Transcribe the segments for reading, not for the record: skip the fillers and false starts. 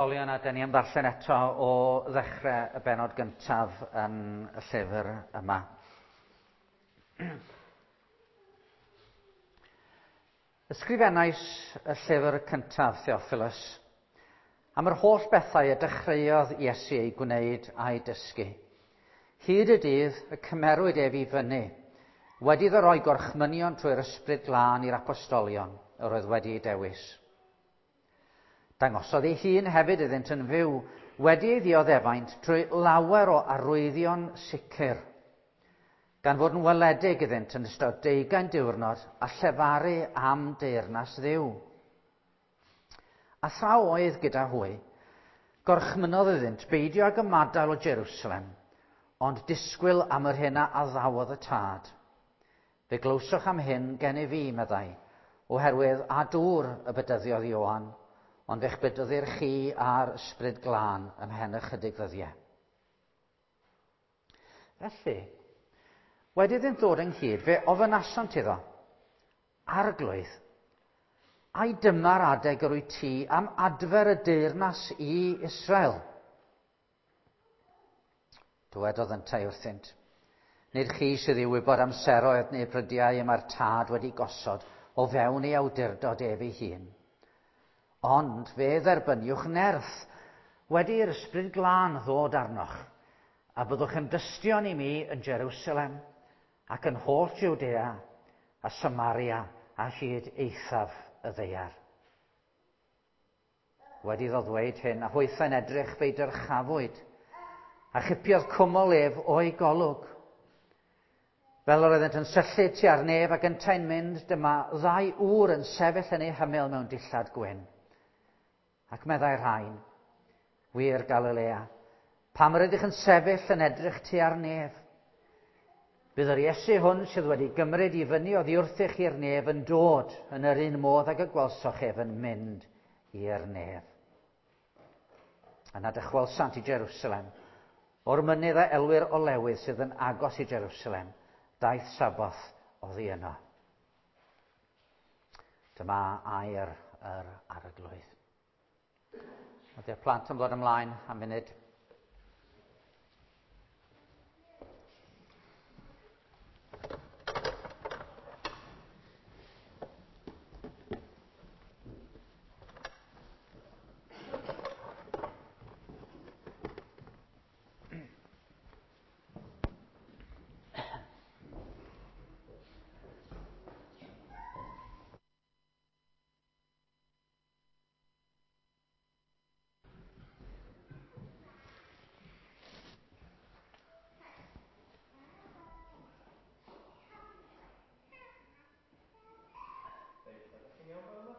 Ysgolion a dyn ni am ddarllen eto o ddechrau y benod gyntaf yn y llyfr yma. Ysgrifennais y llyfr cyntaf, Theophilus, am yr holl bethau y dechreuodd Iesu ei gwneud a'i dysgu. Hyd y dydd y cymerwyd ef i fyny, wedi iddo roi gorchmynion trwy'r ysbryd glân i'r apostolion yr oedd wedi ei dewis. Dangosodd ei hun hefyd iddynt yn fyw, wedi ei ddioddefaint trwy lawer o arwyddion sicr, gan fod yn weledig iddynt yn ystod deugain diwrnod a llefaru am deyrnas Dduw. A thra oedd gyda hwy, gorchmynodd iddynt beidio ag ymadael o Jerusalem, ond disgwyl am yr hyn a addawodd y tad. Fe glywsoch am hyn gennyf fi, meddai, oherwydd a dŵr y bedyddiodd Ioan, ond fe'ch bedyddir chi a'r ysbryd glân ymhen ychydig ddyddiau. Felly, wedi iddynt ddod ynghyd, fe ofynasant iddo, Arglwydd, ai dyma'r adeg yr wyt ti am adfer y deyrnas i Israel? Dywedodd yntau wrthynt, Nid chi sydd i wybod amseroedd neu brydiau y mae'r tad wedi gosod o fewn ei awdurdod ef ei hun. Ond fe dderbyniwch nerth wedi i'r ysbryd glân ddod arnoch, a byddwch yn dystion i mi yn Jerusalem ac yn holl Jwdea a Samaria a hyd eithaf y ddaear. Wedi iddo ddweud hyn, a hwythau'n edrych fe'i dyrchafwyd, a chipiodd cwmwl ef o'i golwg. Fel yr oeddent yn syllu tua'r nef ac yntau'n mynd, dyma ddau ŵr yn sefyll yn eu hymyl mewn dillad gwyn. Ac meddai'r rhain, wir Galilea, pam yr ydych yn sefyll yn edrych tua'r nef? Bydd yr Iesu hwn sydd wedi gymryd i fyny oddi wrthych i'r nef yn dod yn yr un modd ag y gwelsoch ef yn mynd i'r nef. Yna dychwelsant i Jerusalem, o'r mynydd a elwir Olewydd sydd yn agos i Jerusalem, daith Saboth oddi yno. Dyma air yr arglwydd. Ydy'r plant yn dod ymlaen am funud. Reit, ydych chi'n iawn fan yma?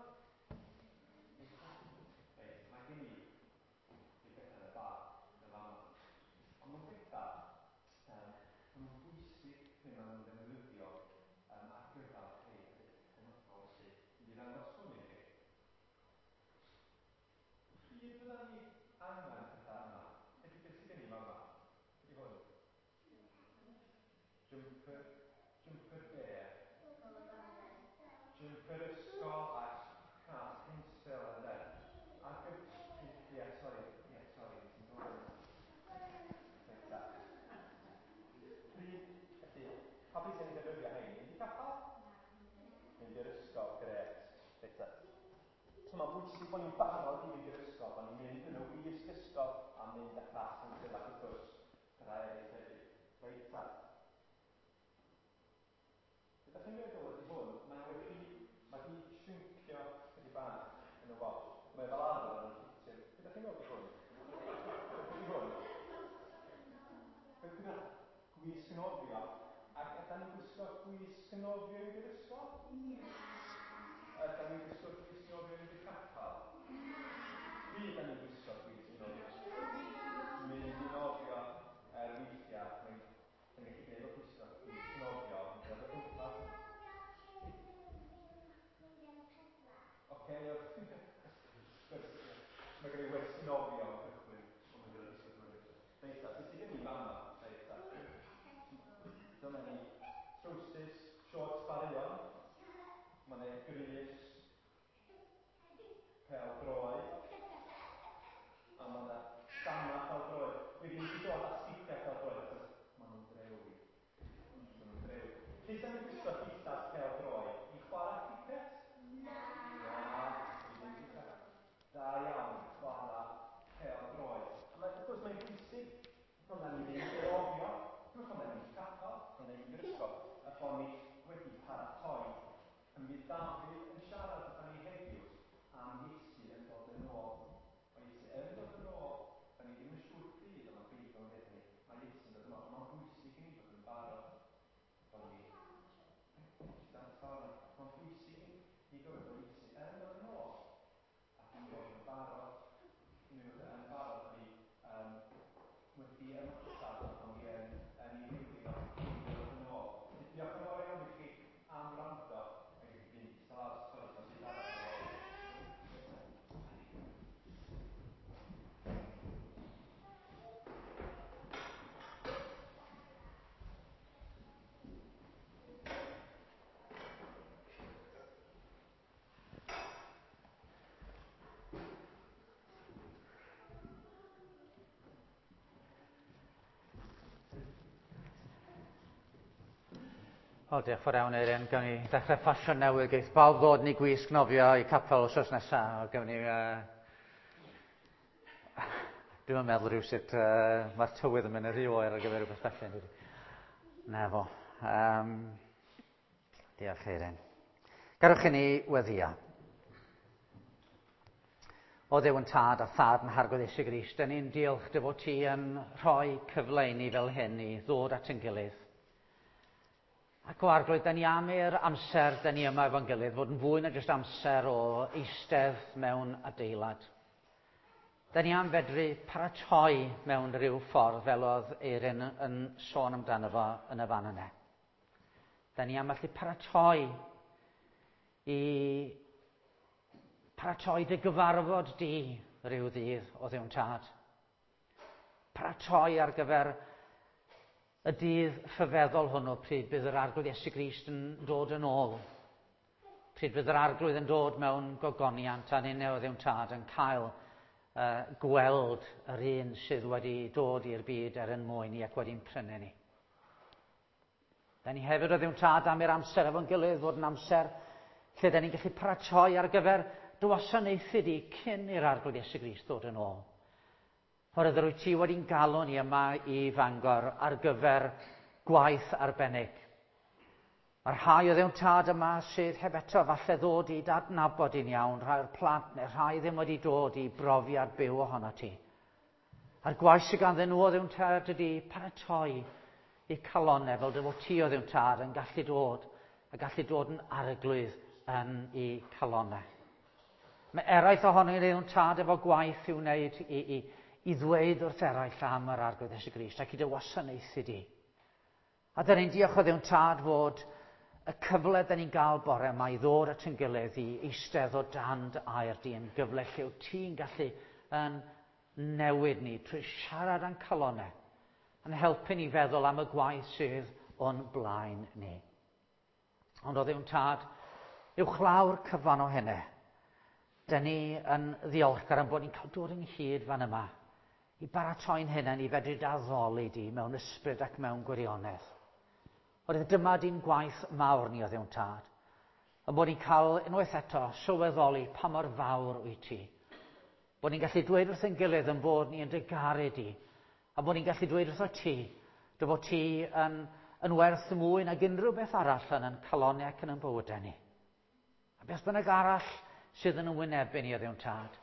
Reit, mae gen i rhyw bethau yn y bag yn fama. Ond mewn pethau, um, maen nhw'n bwysig pryd maen nhw'n ddefnyddio um, ar gyfer rhai pethau penodol, felly mynd i ddangos hwn i chi. Pryd fydda ni angen pethau yma? Felly beth sydd gen i fama? Be di hwn? Jumper, jumper bear. Jumper ysgol a cas pensel ynde? Ac y... Ie, sori, ie, sori, ti'n dod. Reit ta. Pryd, felly, pa bryd sy'n ni'n defnyddio hein? Mynd i capel? Mynd i'r ysgol, grêt. Reit ta. So mae'n bwysig bod ni'n barod i fynd i'r ysgol, bod ni'n mynd yn y wisg ysgol a mynd â cas pensel ac wrth gwrs, pethau eraill hefyd. Reit ta. Be dach chi'n meddwl ydy hwn? Mae o wedi, mae di shrinkio chydig bach yn y wash. Mae fel arfer yn ffitio. Be dach chi'n meddwl ydy hwn? Be ydy hwn? Be ydy hwn? Gwisg nofio. Ac ydan ni'n gwisgo gwisg nofio i fynd i'r ysgol? Ydan ni'n gwisgo gwisg nofio i fynd i'r capel? Pryd ydan ni'n gwisgo gwisg nofio? Mynd i nofio er weithiau mae'n yn gallu gwneud o gwisgo gwisg nofio yn dod o gwmpas. Oce, mae gen i wersi nofio yn cychwyn. O, mae'n gyda gwisgo nofio. Reit ta, beth sydd gen i fama? Reit ta. Dyma ni trowsus, shorts chwaraeon. Mae yna grys, pel droed. Bod ni wedi paratoi. A mi fydd Dafydd yn siarad gyda ni heddiw am Iesu yn dod yn ôl. Mae Iesu yn dod yn ôl, da ni ddim yn siŵr pryd, ond mae Beibl yn dweud ni, mae Iesu yn dod yn ôl. Mae'n bwysig i ni fod yn barod. Bod ni... Mae'n bwysig i ni gofio bod Iesu yn dod yn ôl. Ac i fod yn barod. I ni fod yn barod i wedi ymateb bod ni yn ei ddilyn o cyn dod yn ôl. Diolch yn fawr iawn i chi am wrando. Ac i fynd i lawr, sori, mae'n byd arall ar ôl. O, diolch fawr iawn, Erin. Gawn ni ddechrau ffasiwn newydd. Geith bawb ddod ni gwisg nofio i capel wsos nesaf. Gawn ni... Dwi'm yn meddwl rhywsut mae'r tywydd yn mynd yn rhy oer ar gyfer rhywbeth felly. Yn dydi? Na fo. Diolch, Erin. Garwch i ni weddio. O Dduw yn Tad a Thad yn Harglwydd Iesu Grist, dyn ni'n diolch dy fod ti yn rhoi cyfle i ni fel hyn i ddod at ein gilydd. Ac o Arglwydd, dyn ni am i'r amser dyn ni yma efo'n gilydd fod yn fwy na jyst amser o eistedd mewn adeilad. Dyn ni am fedru paratoi mewn rhyw ffordd fel oedd Eirin yn sôn amdano fo yn y fan yna. Dyn ni am allu paratoi i paratoi dy gyfarfod di rhyw ddydd o Dduw'n Tad. Paratoi ar gyfer y dydd rhyfeddol hwnnw pryd bydd yr Arglwydd Iesu Grist yn dod yn ôl. Pryd bydd yr Arglwydd yn dod mewn gogoniant a ninne o Dduw'n Tad yn cael gweld yr un sydd wedi dod i'r byd er yn mwyn ni ac wedi'n prynu ni. Da ni hefyd o Dduw'n Tad am i'r amser efo'n gilydd fod yn amser lle da ni'n gallu paratoi ar gyfer dy wasanaethu di cyn i'r Arglwydd Iesu Grist ddod yn ôl. Oherwydd yr wyt ti wedi'n galw ni yma i Fangor ar gyfer gwaith arbennig. Mae rhai o Dduw'n Tad yma sydd heb eto falle ddod i dadnabod i'n iawn, rhai o'r plant neu rhai ddim wedi dod i brofiad byw ohono ti. A'r gwaith sydd ganddyn nhw o Dduw'n Tad ydy paratoi i calonau fel dy fod ti o Dduw'n Tad yn gallu dod a gallu dod yn arglwydd yn i calonau. Mae eraill ohonyn ni Dduw'n Tad efo gwaith i'w wneud i ddweud wrth eraill am yr Arglwydd Iesu Grist ac i dy wasanaethu di. A dyn ni'n diolch o Dduw'n Tad fod y cyfle dyn ni'n gael bore yma i ddod at ein gilydd i eistedd o dan dy air di yn gyfle lle wyt ti'n gallu yn newid ni trwy siarad â'n calonau, yn helpu ni feddwl am y gwaith sydd o'n blaen ni. Ond o Dduw'n Tad, uwchlaw'r cyfan o hynny, dyn ni yn ddiolchgar am bod ni'n cael dod ynghyd fan yma i baratoi'n hunain i fedru d'addoli di mewn ysbryd ac mewn gwirionedd. Oherwydd dyma di'n gwaith mawr ni o Dduw'n Tad, yn bod ni'n cael unwaith eto sylweddoli pa mor fawr wyt ti. Bod ni'n gallu dweud wrth ein gilydd yn bod ni yn dy garu di, a bod ni'n gallu dweud wrtho ti, dy fod ti yn werth mwy nag unrhyw beth arall yn ein calonau ac yn ein bywydau ni. A beth bynnag arall sydd yn wynebu ni o Dduw'n Tad,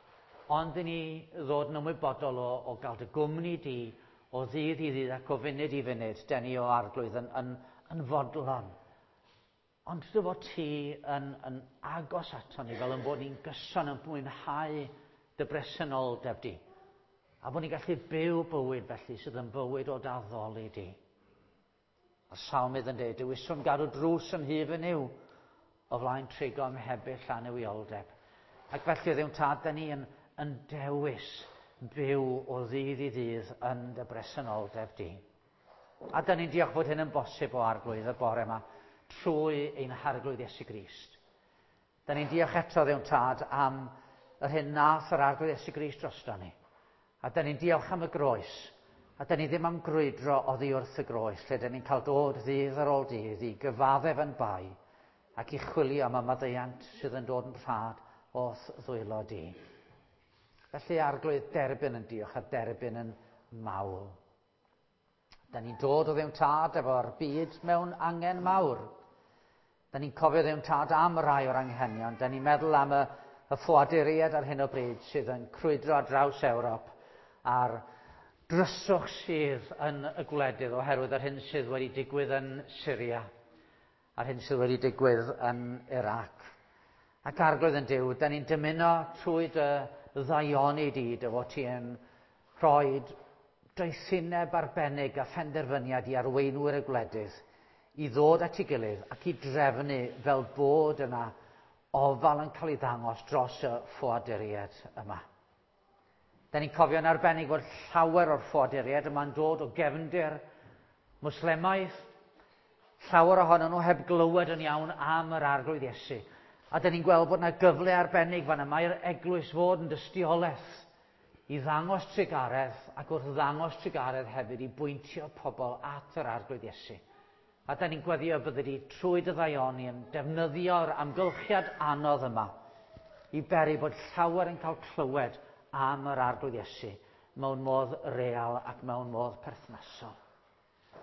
ond i ni ddod yn ymwybodol o gael dy gwmni di o ddydd i ddydd ac o funud i funud, den ni o Arglwydd yn fodlon. Ond dy fod ti yn agos ato ni fel yn bod ni'n gyson yn mwynhau dy bresenoldeb di. A bod ni'n gallu byw bywyd felly sydd yn bywyd o d'addoli di. A Salmydd yn dweud, dewiswn gadw drws yn nhŷ fy Nuw o flaen trigo ym mhebyll annuwioldeb. Ac felly o Dduw'n Tad, da ni yn dewis byw o ddydd i ddydd yn dy bresenoldeb di. A da ni'n diolch fod hyn yn bosib o Arglwydd y bore yma trwy ein Harglwydd Iesu Grist. Da ni'n diolch eto Dduw'n Tad am yr hyn nath yr Arglwydd Iesu Grist drosto ni. A da ni'n diolch am y groes. A da ni ddim am grwydro oddi wrth y groes, lle da ni'n cael dod ddydd ar ôl dydd i gyfaddef yn bai ac i chwilio am y maddeuant sydd yn dod yn rhad o'th ddwylo di. Felly Arglwydd, derbyn yn diolch a derbyn yn mawl. Da ni'n dod o Dduw Tad efo'r byd mewn angen mawr. Da ni'n cofio Dduw Tad am rai o'r anghenion. Da ni'n meddwl am y ffoaduriaid ar hyn o bryd sydd yn crwydro ar draws Ewrop a'r dryswch sydd yn y gwledydd oherwydd yr hyn sydd wedi digwydd yn Syria a'r hyn sydd wedi digwydd yn Iraq. Ac Arglwydd yn Duw, da ni'n dymuno trwy dy ddaioni di, dy fod ti yn rhoi doethineb arbennig a phenderfyniad i arweinwyr y gwledydd i ddod at ei gilydd ac i drefnu fel bod yna ofal yn cael ei ddangos dros y ffoaduriaid yma. Da ni'n cofio'n arbennig fod llawer o'r ffoaduriaid yma'n dod o gefndir Mwslemaidd, llawer ohonyn nhw heb glywed yn iawn am yr Arglwydd Iesu. A da ni'n gweld bod yna gyfle arbennig fan yma i'r eglwys fod yn dystiolaeth i ddangos trugaredd ac wrth ddangos trugaredd hefyd i bwyntio pobl at yr Arglwydd Iesu. A da ni'n gweddio byddi di trwy dy ddaioni yn defnyddio'r amgylchiad anodd yma i beri bod llawer yn cael clywed am yr Arglwydd Iesu mewn modd real ac mewn modd perthnasol.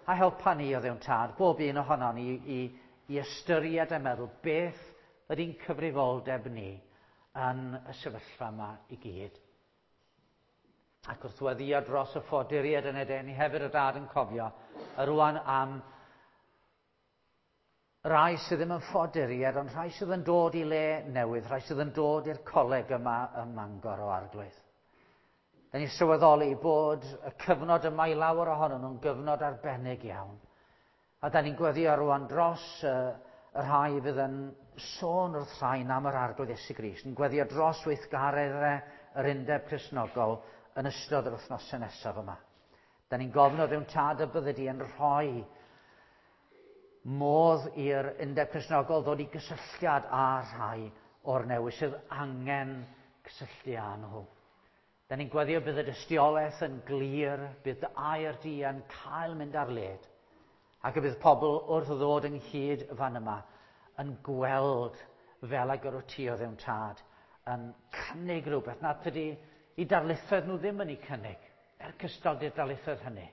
A helpa ni o Dduw'n Tad, bob un ohonon ni i ystyried a meddwl beth ydy'n cyfrifoldeb ni yn y sefyllfa yma i gyd. Ac wrth weddio dros y ffoaduriaid yn y ni hefyd o Dad yn cofio y rwan am rai sydd ddim yn ffoaduriaid, ond rhai sydd yn dod i le newydd, rhai sydd yn dod i'r coleg yma ym Mangor o Arglwydd. Da ni'n sylweddoli bod y cyfnod yma i lawer ohonyn nhw'n gyfnod arbennig iawn. A da ni'n gweddio rwan dros y rhai fydd yn sôn wrth rhain am yr Arglwydd Iesu Grist, yn gweddio dros weithgareddau yr Undeb Cristnogol yn ystod yr wythnosau nesaf yma. Da ni'n gofyn o Dduw'n Tad y byddi di yn rhoi modd i'r Undeb Cristnogol ddod i gysylltiad â rhai o'r newydd sydd angen cysylltu â nhw. Da ni'n gweddio bydd y dystiolaeth yn glir, bydd dy air di yn cael mynd ar led, ac y bydd pobl wrth ddod ynghyd fan yma yn gweld fel ag yr wyt ti o Dduw'n Tad yn cynnig rhywbeth nad ydy i darlithoedd nhw ddim yn ei cynnig, er cystal di'r darlithoedd hynny.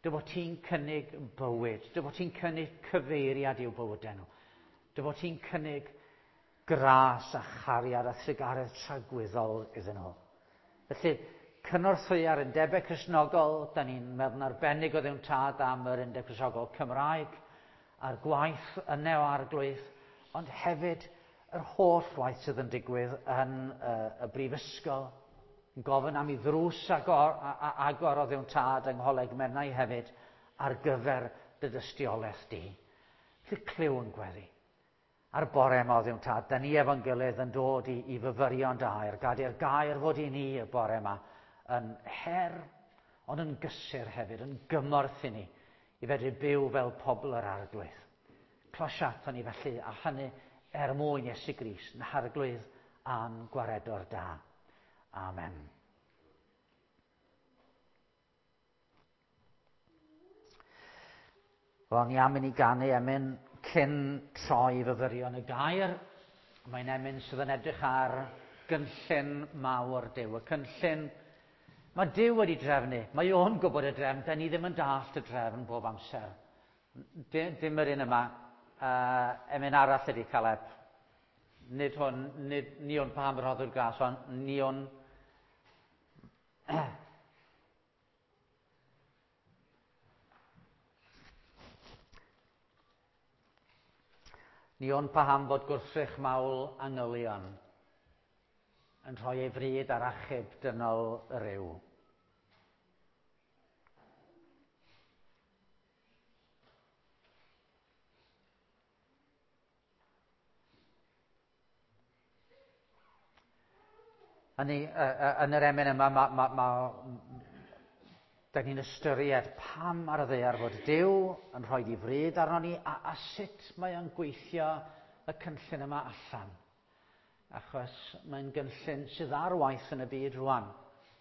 Dy fod ti'n cynnig bywyd, dy fod ti'n cynnig cyfeiriad i'w bywydau nhw, dy fod ti'n cynnig gras a chariad a thrugaredd tragwyddol iddyn nhw. Felly, cynorthwya'r Undebau Cristnogol, da ni'n meddwl arbennig o Dduw'n Tad am yr Undeb Cristnogol Cymraeg, a'r gwaith yne o Arglwydd, ond hefyd yr holl waith sydd yn digwydd yn y brifysgol, yn gofyn am i ddrws agor, agor o Dduw'n Tad yng Ngholeg Menai hefyd ar gyfer dy dystiolaeth di. Felly clyw yn gweddi. A'r bore yma o Dduw'n Tad, da ni efo'n gilydd yn dod i fyfyrio'n dair, gad i'r gair fod i ni y bore yma yn her, ond yn gysur hefyd, yn gymorth i ni, i fedru byw fel pobl yr Arglwydd. Closia aton ni felly, a hynny er mwyn Iesu Grist, yn Harglwydd a'n gwaredwr da. Amen. Wel, ni am i ni ganu emyn cyn troi fyfyrio yn y gair. Mae'n emyn sydd yn edrych ar gynllun mawr Duw. Y cynllun mae Duw wedi drefnu. Mae o'n gwybod y drefn. Da ni ddim yn dallt y drefn bob amser. Dim yr un yma. Emyn arall ydy Caleb. Nid hwn, nid ni o'n paham rhoddwr gras, ond ni o'n... Ni o'n paham fod gwrthrych mawl angylion yn rhoi ei fryd ar achub dynol ryw. Hynny, yn yr emyn yma, da ni'n ystyried pam ar y ddaear fod Duw yn rhoi ei fryd arno ni a sut mae o'n gweithio y cynllun yma allan. Achos mae'n gynllun sydd ar waith yn y byd rwan,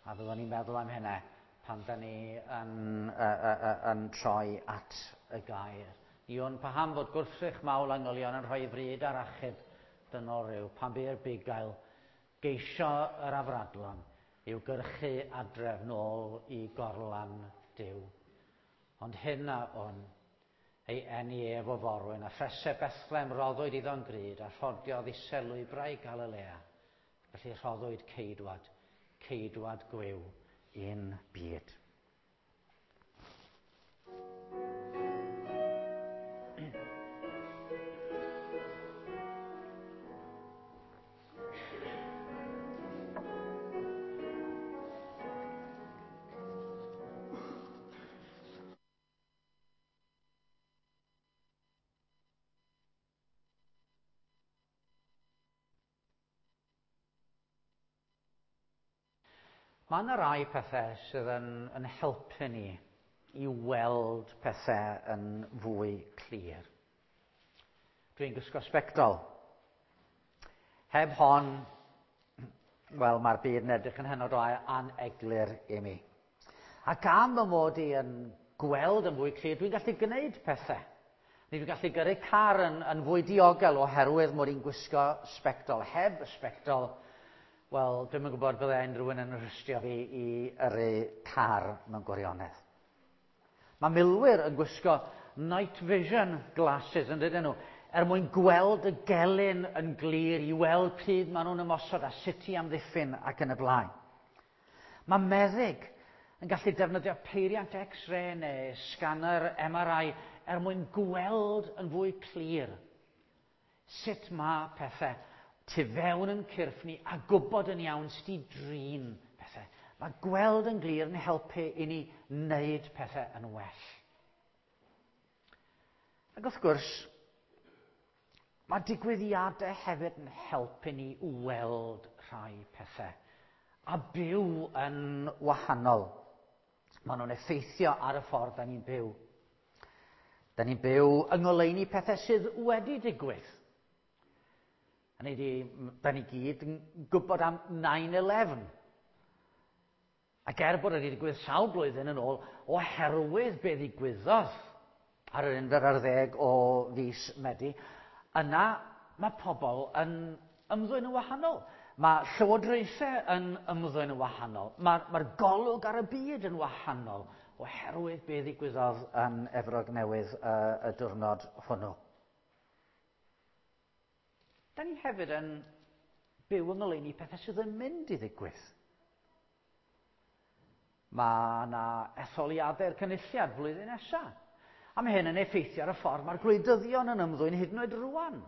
a fyddwn ni'n meddwl am hynna pan da ni yn troi at y gair. Ion, paham fod gwrthrych mawl angylion yn rhoi fryd ar achub dynol rhyw, pan bu'r bugail geisio yr afradlon i'w gyrchu adref nôl i gorlan Duw. Ond hyn a wn, ei eni ef o forwyn, a phresau Bethlehem roddwyd iddo'n gryd, a rhodiodd isel lwybrau Galilea. Felly rhoddwyd ceidwad, ceidwad gwiw i'n byd. Mae yna rai pethau sydd yn helpu ni i weld pethau yn fwy clir. Dwi'n gwisgo sbectol. Heb hon, wel, mae'r byd yn edrych yn hynod o aneglur i mi. Ac am fy mod i yn gweld yn fwy clir, dwi'n gallu gwneud pethau. Neu dwi'n gallu gyrru car yn fwy diogel oherwydd mod i'n gwisgo sbectol. Heb y sbectol, wel, dwi'm yn gwybod bydde unrhyw un yn rhystio fi i yrru car mewn gwirionedd. Mae milwyr yn gwisgo night vision glasses, yn dydyn nhw, er mwyn gweld y gelyn yn glir, i weld pryd maen nhw'n ymosod a sut i amddiffyn ac yn y blaen. Mae meddyg yn gallu defnyddio peiriant X-ray neu scanner MRI er mwyn gweld yn fwy clir sut mae pethau tu fewn yn cyrff ni a gwybod yn iawn sut i drin pethau. Mae gweld yn glir yn helpu i ni wneud pethau yn well. Ac wrth gwrs, mae digwyddiadau hefyd yn helpu ni weld rhai pethau a byw yn wahanol. Maen nhw'n effeithio ar y ffordd da ni'n byw. Da ni'n byw yng ngoleuni pethau sydd wedi digwydd. A da ni gyd yn gwybod am 9/11. Ac er bod wedi digwydd sawl blwyddyn yn ôl, oherwydd be ddigwyddodd ar yr 11 o fis Medi, yna mae pobl yn ymddwyn yn wahanol. Mae llywodraethau yn ymddwyn yn wahanol. Mae'r golwg ar y byd yn wahanol oherwydd be ddigwyddodd yn Efrog Newydd y diwrnod hwnnw. Da ni hefyd yn byw yng ngoleuni pethau sydd yn mynd i ddigwydd. Mae yna etholiadau'r cynulliad flwyddyn nesaf. A mae hyn yn effeithio ar y ffordd mae'r gwleidyddion yn ymddwyn hyd yn oed rwan.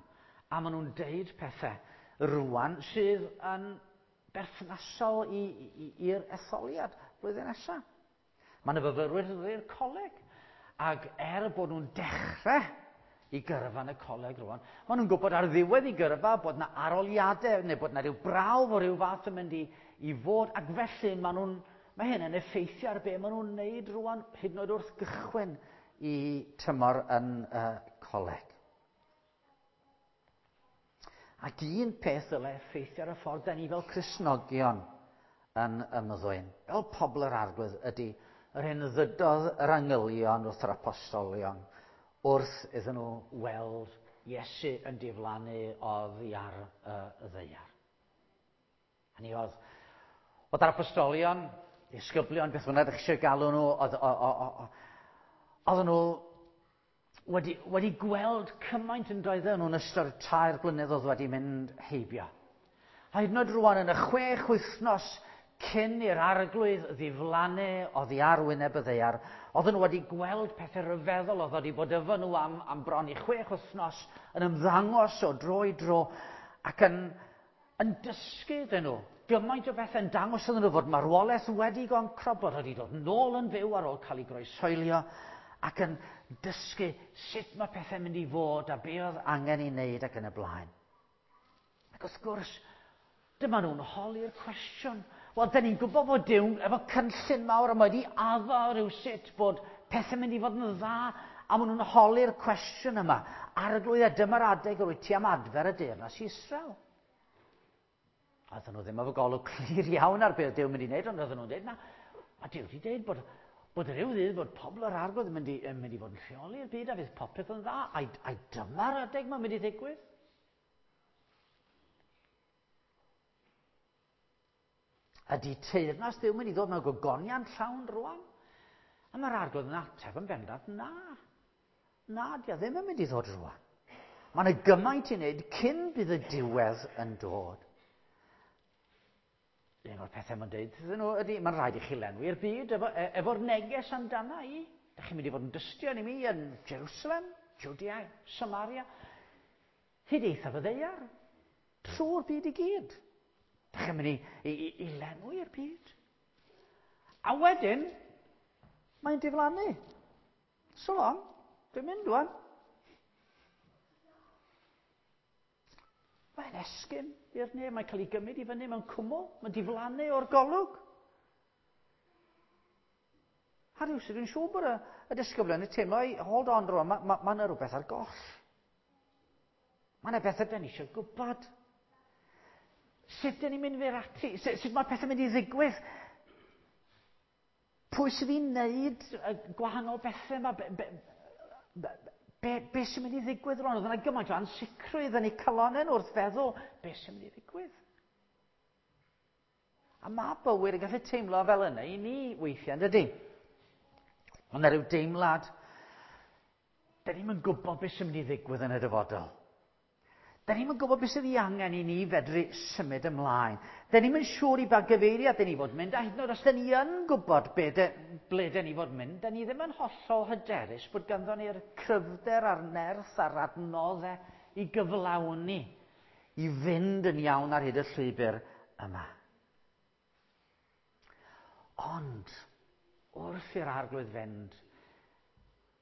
A maen nhw'n deud pethau rwan sydd yn berthnasol i'r etholiad flwyddyn nesaf. Mae yna fyfyrwyr i'r coleg. Ac er bod nhw'n dechrau i gyrfa yn y coleg rwan, maen nhw'n gwybod ar ddiwedd i gyrfa bod yna aroliadau neu bod yna rhyw brawf o ryw fath yn mynd i fod, ac felly mae hyn yn effeithio ar be maen nhw'n wneud rwan, hyd yn oed wrth gychwyn i tymor yn y coleg. Ac un peth ddylai effeithio ar y ffordd da ni fel Cristnogion yn ymddwyn, fel pobl yr Arglwydd, ydy yr hyn ddydodd yr angylion wrth yr apostolion wrth iddyn nhw weld Iesu yn diflannu oddi ar y ddaear. Hynny oedd yr apostolion, disgyblion, beth bynnag ydych chi eisiau galw nhw, oedden nhw wedi gweld cymaint yn doedden nhw'n ystod 3 blynedd oedd wedi mynd heibio. A hyd yn oed rwan yn y 6 wythnos cyn i'r Arglwydd ddiflannu oddi ar wyneb y ddaear, oedden nhw wedi gweld pethau rhyfeddol oedd wedi bod efo nhw am bron i 6 wythnos yn ymddangos o dro i dro ac yn dysgu iddyn nhw gymaint o bethau, yn dangos iddyn nhw fod marwolaeth wedi goncro, bod wedi dod nôl yn fyw ar ôl cael ei groeshoelio, ac yn dysgu sut mae pethau'n mynd i fod a be oedd angen ei wneud ac yn y blaen. Ac wrth gwrs, dyma nhw'n holi'r cwestiwn. Wel, da ni'n gwybod fod Duw efo cynllun mawr a mae wedi addo rhywsut bod pethau'n mynd i fod yn dda, a maen nhw'n holi'r cwestiwn yma. Arglwydd, a dyma'r adeg yr wyt ti am adfer y deyrnas i Israel. Oedden nhw ddim efo golwg clir iawn ar beth Duw yn mynd i wneud, ond oedden nhw'n dweud, na, mae Duw wedi dweud bod rhyw ddydd bod pobl yr Arglwydd yn mynd i fod yn rheoli'r byd a fydd popeth yn dda, ai dyma'r adeg mae'n mynd i ddigwydd? Ydy teyrnas Duw mynd i ddod mewn gogoniant llawn rwan? A mae'r Arglwydd yn ateb yn bendant, na. Na, di o ddim yn mynd i ddod rwan. Mae yna gymaint i wneud cyn bydd y diwedd yn dod. Un o'r pethau mae'n dweud iddyn nhw ydy, mae'n rhaid i chi lenwi'r byd efo'r neges amdana i. Da chi'n mynd i fod yn dystion i mi yn Jerusalem, Judea, Samaria, hyd eithaf y ddaear, trwy'r byd i gyd. Da chi'n mynd i lenwi'r byd. A wedyn, mae'n diflannu. So long, dwi'n mynd wan. Mae'n esgyn i'r nef, mae'n cael ei gymryd i fyny mewn cwmwl, mae'n diflannu o'r golwg. A rhywsut dwi'n siŵr bod y disgyblion yn teimlo, hold on rwan, mae yna rhywbeth ar goll. Mae yna bethau da ni eisiau gwybod. Sut dyn ni'n mynd fyr ati? Sut mae pethau'n mynd i ddigwydd? Pwy sydd i wneud y gwahanol bethau yma? Be sy'n mynd i ddigwydd rwan? Oedd yna gymaint o ansicrwydd yn eu calonnau nhw wrth feddwl, be sy'n mynd i ddigwydd? A mae bywyd yn gallu teimlo fel yna i ni weithiau, yn dydy? Mae yna rhyw deimlad, da ni'm yn gwybod beth sy'n mynd i ddigwydd yn y dyfodol. Da ni'm yn gwybod beth sydd ei angen i ni fedru symud ymlaen. Da ni'm yn siŵr i ba gyfeiriad da ni fod mynd, a hyd yn oed os da ni yn gwybod ble da ni fod mynd, da ni ddim yn hollol hyderus bod ganddo ni'r cryfder a'r nerth a'r adnoddau i gyflawni, i fynd yn iawn ar hyd y llwybr yma. Ond, wrth i'r Arglwydd fynd,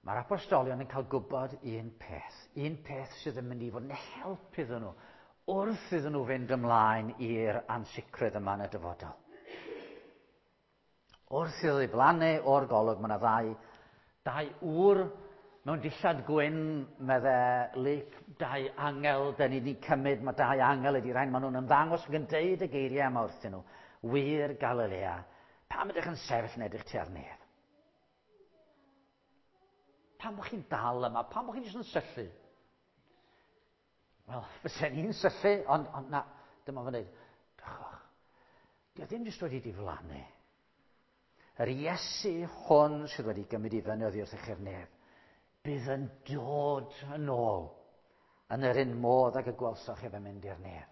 mae'r apostolion yn cael gwybod un peth. Un peth sydd yn mynd i fod yn help iddyn nhw wrth iddyn nhw fynd ymlaen i'r ansicrwydd yma yn y dyfodol. Wrth iddo ddiflannu o'r golwg, mae yna ddau ŵr mewn dillad gwyn, medde Luc, dau angel, da ni wedi cymryd, mae dau angel ydi rhain, maen nhw'n ymddangos ac yn deud y geiriau yma wrthyn nhw. Wŷr Galilea, pam ydych yn sefyll yn edrych tua'r nef? Pam bod chi'n dal yma? Pam bod chi'n jyst yn syllu? Wel, fysen ni'n syllu, ond na, dyma fo'n dweud, drychwch, di o ddim jyst wedi diflannu. Yr Iesu hwn sydd wedi gymryd i fyny oddi wrth eich nef, bydd yn dod yn ôl yn yr un modd ag y gwelsoch ef yn mynd i'r nef.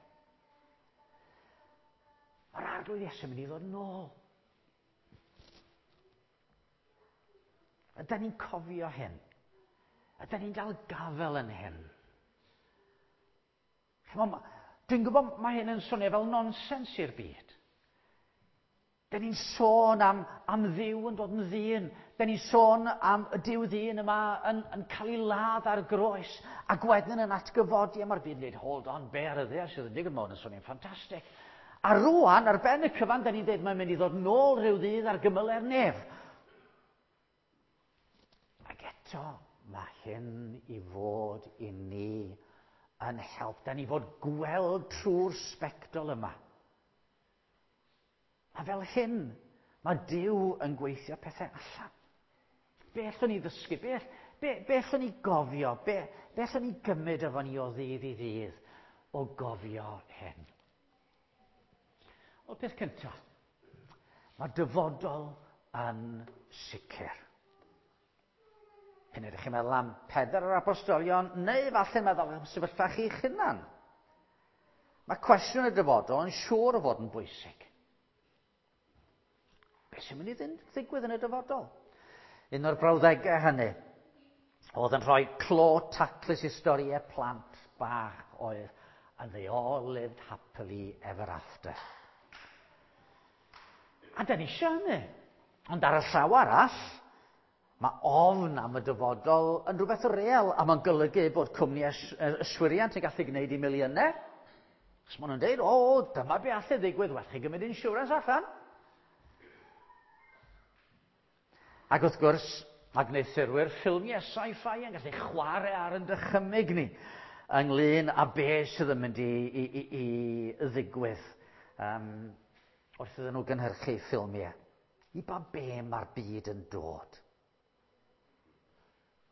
Mae'r Arglwydd Iesu yn mynd i ddod yn ôl. Ydan ni'n cofio hyn? Ydan ni'n dal gafel yn hyn? Dwi'n gwybod mae hyn yn swnio fel nonsens i'r byd. Da ni'n sôn am Dduw yn dod yn ddyn. Da ni'n sôn am y Duw ddyn yma yn cael ei ladd ar groes ac wedyn yn atgyfodi, a mae'r byd yn dweud, hold on, be ar y ddaear sydd yn digwydd, mae hwn yn swnio'n ffantastig. A rwan, ar ben y cyfan, da ni'n dweud mae'n mynd i ddod nôl rhyw ddydd ar gymylau'r nef. Ac eto, mae hyn i fod i ni yn help. Da ni fod gweld trwy'r sbectol yma. A fel hyn, mae Duw yn gweithio pethau allan. Be allwn ni ddysgu? Be allwn ni gofio? Be allwn ni gymryd efo ni o ddydd i ddydd o gofio hyn? Wel, peth cyntaf, mae dyfodol yn sicr. P'un ydych chi'n meddwl am Pedr yr apostolion, neu falle meddwl am sefyllfa chi'ch hunan. Mae cwestiwn y dyfodol yn siŵr o fod yn bwysig. Be sy'n mynd i ddigwydd yn y dyfodol? Un o'r brawddegau hynny oedd yn rhoi clo taclus i storiau plant bach oedd and they all lived happily ever after. A da ni eisiau hynny. Ond ar y llaw arall, mae ofn am y dyfodol yn rhywbeth real, a mae'n golygu bod cwmni yswiriant yn gallu gwneud i miliynau. Os maen nhw'n dweud, o, dyma be allai ddigwydd, well chi gymryd insurance allan. Ac wrth gwrs, mae gwneuthurwyr ffilmiau sci-fi yn gallu chwarae ar yn dychymyg ni ynglyn â be sydd yn mynd i ddigwydd wrth iddyn nhw gynhyrchu ffilmiau. I ba be mae'r byd yn dod?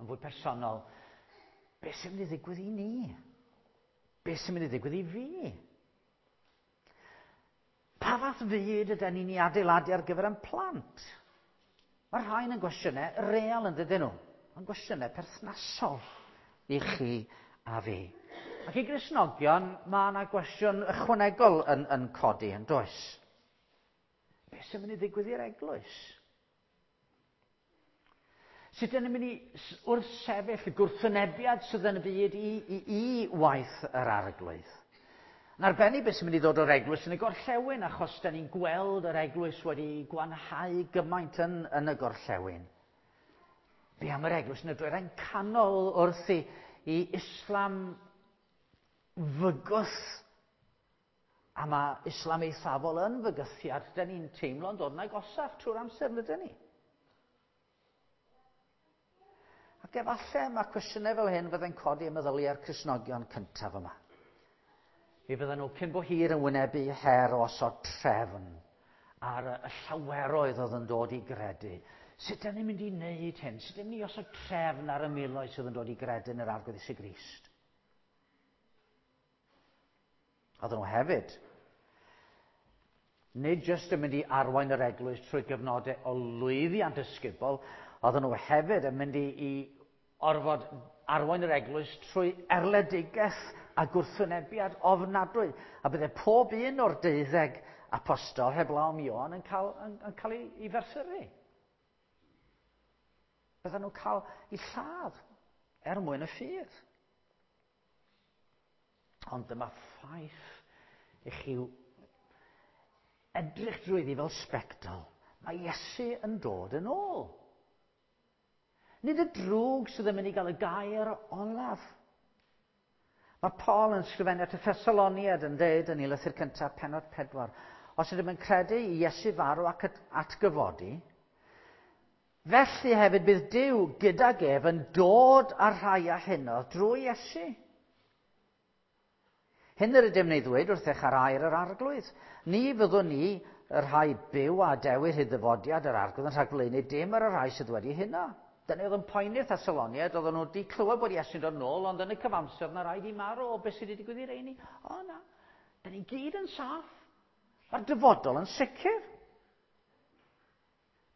Yn fwy personol, be sy'n mynd i ddigwydd i ni? Be sy'n mynd i ddigwydd i fi? Pa fath fyd ydyn ni'n ei adeiladu ar gyfer ein plant? Mae rhain yn gwestiynau real yn dydyn nhw, yn gwestiynau perthnasol i chi a fi. Ac i Gristnogion, mae yna gwestiwn ychwanegol yn codi, yn does? Beth sy'n mynd i ddigwydd i'r eglwys? Sut ydyn ni'n mynd i wrthsefyll y gwrthwynebiad sydd yn y byd i waith yr Arglwydd? Yn arbennig beth sy'n mynd i ddod o'r eglwys yn y gorllewin, achos da ni'n gweld yr eglwys wedi gwanhau gymaint yn y gorllewin. Be am yr eglwys yn y dwyrain canol wrth i Islam fygwth? A mae Islam eithafol yn fygythiad, da ni'n teimlo'n dod yn agosach trwy'r amser, nid ni? Ac efallai mae cwestiynau fel hyn fydde'n codi ym meddyliau'r Cristnogion cyntaf yma. Mi fydden nhw cyn bo hir yn wynebu her o osod trefn ar y llaweroedd oedd yn dod i gredu. Sut ydyn ni'n mynd i wneud hyn? Sut ydyn ni'n mynd i osod trefn ar y miloedd sydd yn dod i gredu yn yr Arglwydd Iesu Grist? Oedden nhw hefyd nid jyst yn mynd i arwain yr eglwys trwy gyfnodau o lwyddiant ysgubol, oedden nhw hefyd yn mynd i orfod arwain yr eglwys trwy erledigaeth a gwrthwynebiad ofnadwy. A bydde pob un o'r 12 apostol heblaw am Ioan yn cael ei ferthyru. Bydden nhw'n cael eu lladd er mwyn y ffydd. Ond dyma ffaith i chi edrych drwyddi fel sbectol. Mae Iesu yn dod yn ôl. Nid y drwg sydd yn mynd i gael y gair olaf. Mae Paul yn sgrifennu at y Thessaloniaid yn dweud yn ei lythyr cyntaf, pennod 4, os ydym yn credu i Iesu farw ac atgyfodi, felly hefyd bydd Duw gydag ef yn dod â'r rhai a hunodd drwy Iesu. Hyn yr ydym ni ddweud wrthych ar air yr Arglwydd. Ni fyddwn ni y rhai byw a dewir hyd ddyfodiad yr Arglwydd yn rhagflaenu dim ar y rhai sydd wedi huno. Dyna oedd yn poeni'r Thessaloniaid, oedden nhw wedi clywed bod Iesu'n dod nôl, ond yn y cyfamser na rhaid i marw o beth sydd wedi digwydd i reini. O na, da ni gyd yn saff. Mae'r dyfodol yn sicr.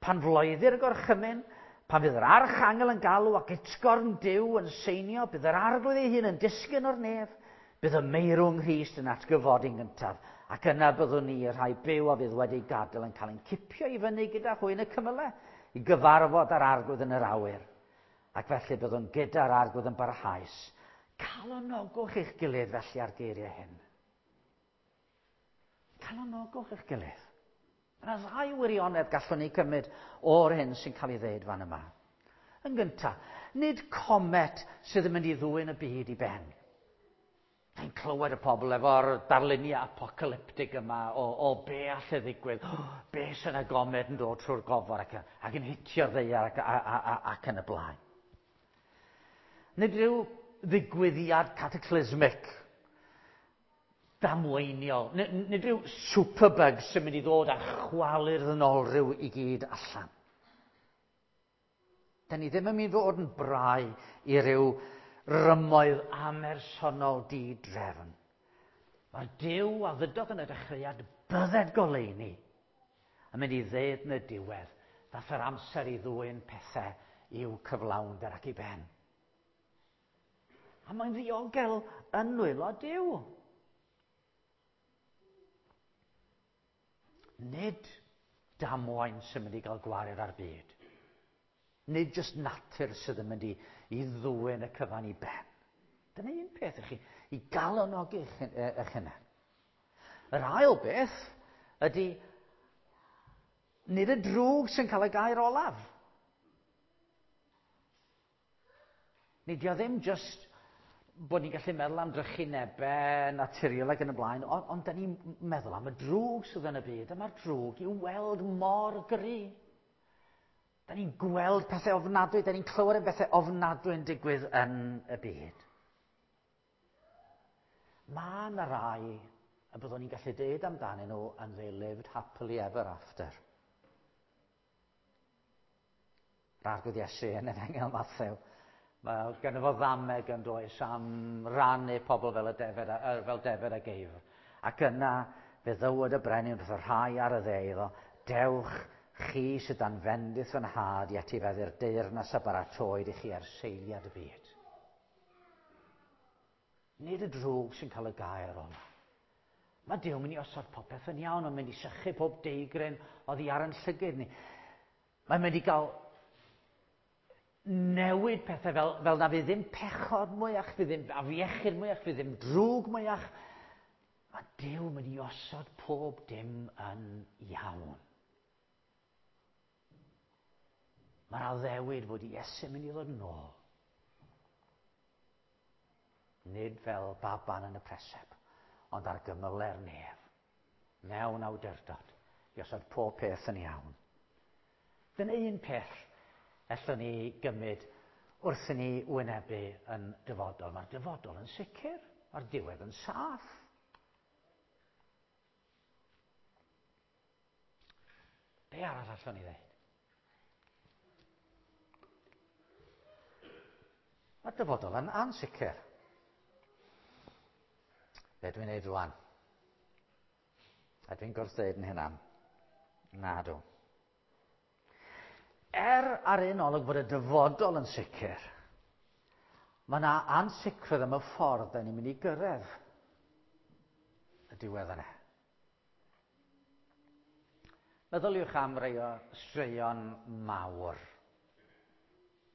Pan floeddir y gorchymyn, pan fydd yr archangel yn galw ac utgorn Duw yn seinio, bydd yr Arglwydd ei hun yn disgyn o'r nef, bydd y meirw yng Nghrist yn atgyfodi'n gyntaf, ac yna byddwn ni y rhai byw a fydd wedi gadael yn cael ein cipio i fyny gyda hwy yn y cymylau, i gyfarfod â'r Arglwydd yn yr awyr. Ac felly byddwn gyda'r Arglwydd yn barhaus. Calonogwch eich gilydd felly ar geiriau hyn. Calonogwch eich gilydd. Mae yna ddau wirionedd gallwn ni cymryd o'r hyn sy'n cael ei ddeud fan yma. Yn gyntaf, nid comet sydd yn mynd i ddwyn y byd i ben. Dwi'n clywed y pobl efo'r darluniau apocalyptig yma o be all e ddigwydd, be sy'n y gomed yn dod trwy'r gofod ac yn hitio'r ddaear ac yn y blaen. Nid rhyw ddigwyddiad cataclysmic, damweiniol, nid rhyw superbug sy'n mynd i ddod a chwalu'r ddynolryw i gyd allan. Da ni ddim yn mynd i fod yn brau i ryw rymoedd amersonol di-drefn. Mae'r Duw a ddydodd yn y dechreuad bydded goleuni yn mynd i ddeud yn y diwedd, dath yr amser i ddwyn pethau i'w cyflawnder ac i ben. A mae'n ddiogel yn nwylo Duw. Nid damwain sy'n mynd i gael gwared ar byd. Nid jyst natur sydd yn mynd i ddwyn y cyfan i ben. Dyna un peth i chi, i galonogi eich hunain. Yr ail beth ydy, nid y drwg sy'n cael y gair olaf. Nid o ddim jyst bod ni'n gallu meddwl am drychinebau naturiol ac yn y blaen, ond da ni'n meddwl am y drwg sydd yn y byd, a mae'r drwg i'w weld mor gry. Da ni'n gweld pethau ofnadwy, da ni'n clywed am bethau ofnadwy yn digwydd yn y byd. Mae yna rai y byddwn ni'n gallu deud amdanyn nhw and they lived happily ever after. Yr Arglwydd Iesu yn Efengyl Mathew. Mae gen fo ddameg yn does am rannu pobl fel y defed, fel defed a geifr. Ac yna fe ddywed y brenin wrth y rhai ar y dde iddo, dewch chi sydd dan fendith fy nhad i etifeddu'r deyrnas a baratoed i chi ar seiliad y byd. Nid y drwg sy'n cael y gair ola. Mae Duw yn mynd i osod popeth yn iawn, mae'n mynd i sychu pob deigryn oddi ar yn llygyd ni. Mae'n mynd i gael newid pethau fel na fydd ddim pechod mwyach, fydd ddim afiechyd mwyach, fydd ddim drwg mwyach. Mae Duw yn mynd i osod pob dim yn iawn. Mae'r addewid fod Iesu'n mynd i ddod yn ôl. Nid fel baban yn y preseb, ond ar gymyle'r nef, mewn awdurdod, i osod pob peth yn iawn. Dyna un peth allwn ni gymryd wrth i ni wynebu yn dyfodol. Mae'r dyfodol yn sicr, mae'r diwedd yn saff. Be arall allwn ni ddeud? Mae'r dyfodol yn ansicr. Be dwi'n neud rwan? A dwi'n gwrthdeud yn hynna. Na dw. Er ar un olwg fod y dyfodol yn sicr, mae yna ansicrwydd am y ffordd da ni'n mynd i gyrraedd y diwedd yna. Meddyliwch am rai o straeon mawr.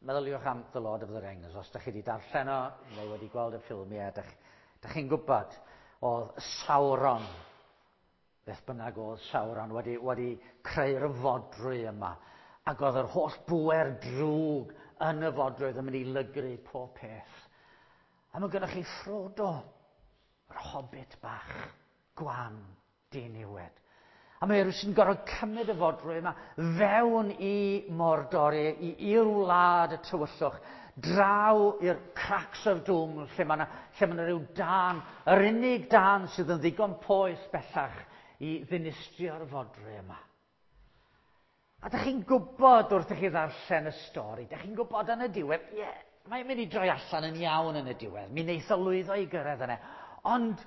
Meddyliwch am The Lord of the Rings. Os da chi wedi darllen o, neu wedi gweld y ffilmiau, da, da chi'n gwybod, oedd Sauron, beth bynnag oedd Sauron, wedi creu'r fodrwy yma. Ac oedd yr holl bŵer drwg yn y fodrwy yn mynd i lygru pob peth. A mae gennych chi Frodo, yr hobbit bach, gwan, diniwed. A mae rhywun sy'n gorfod cymryd y fodrwy yma fewn i Mordor, i'r wlad y tywyllwch, draw i'r cracks of doom, lle mae yna rhyw dân, yr unig dân sydd yn ddigon poeth bellach i ddinistrio'r fodrwy yma. A dych chi'n gwybod wrth i chi ddarllen y stori, dych chi'n gwybod yn y diwedd, ie, mae'n mynd i droi allan yn iawn yn y diwedd, mi wneith o lwyddo i gyrraedd yna. Ond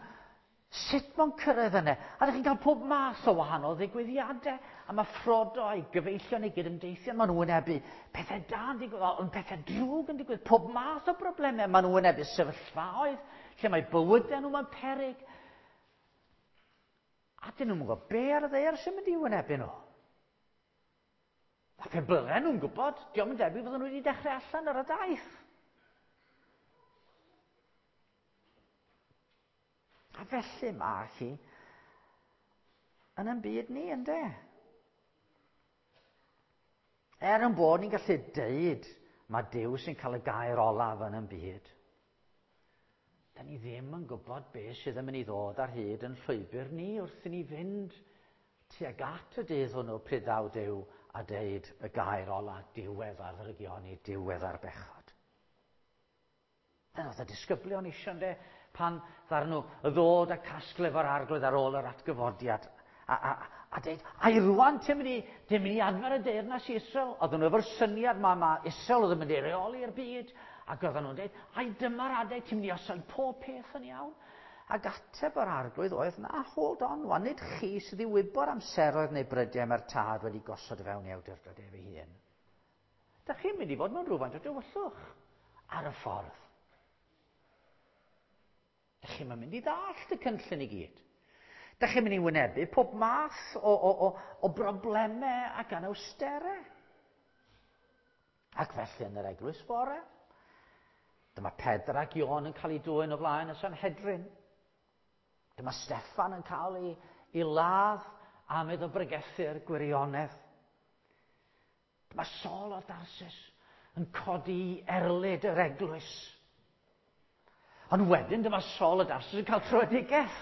sut mae'n cyrraedd yna? A ydych chi'n cael pob math o wahanol ddigwyddiadau. A mae Frodo a'i gyfeillion ei gydymdeithion, maen nhw'n wynebu pethau da yn digwydd, ond pethau drwg yn digwydd, pob math o broblemau. Maen nhw'n wynebu sefyllfaoedd lle mae bywydau nhw mewn peryg. A dyn nhw'n gwybod be ar y ddaear sy'n mynd i wynebu nhw. A pe bydden nhw'n gwybod, diolch yn debyg fydden nhw wedi dechrau allan ar y daith. A felly mae hi yn ein byd ni, ynde? Er yn bod ni'n gallu deud mae Duw sy'n cael y gair olaf yn ein byd, da ni ddim yn gwybod beth sydd yn mynd i ddod ar hyd yn llwybr ni wrth i ni fynd tuag at y dydd hwnnw pryd ddaw Duw a deud y gair olaf, diwedd ar ddrygioni, diwedd ar bechod. Dyna oedd y disgyblion eisiau, ynde, pan ddaru nhw ddod a casglu efo'r arglwydd ar ôl yr atgyfodiad a deud, ai rwan ti'n mynd i adfer y deyrnas i Israel? Oedden nhw efo'r syniad ma Israel oedd yn mynd i reoli'r byd, ac oedden nhw'n deud, ai dyma'r adeg ti'n mynd i osod pob peth yn iawn? Ac ateb yr arglwydd oedd, na, hold on, wan, nid chi sydd i wybod amseroedd neu brydiau mae'r tad wedi gosod fewn i awdurdod ef ei hun. Da chi'n mynd i fod mewn rhywfaint o dywyllwch ar y ffordd. Da chi'n mynd i ddallt y cynllun i gyd. Da chi'n mynd i wynebu pob math o broblemau ac anawsterau. Ac felly yn yr eglwys fore, dyma Pedr ac Ioan yn cael eu dwyn o flaen y Sanhedrin. Dyma Steffan yn cael ei ladd am iddo bregethu'r gwirionedd. Dyma Saul o Darsus yn codi erlid yr eglwys. Ond wedyn dyma Saul o Darsus yn cael tröedigaeth.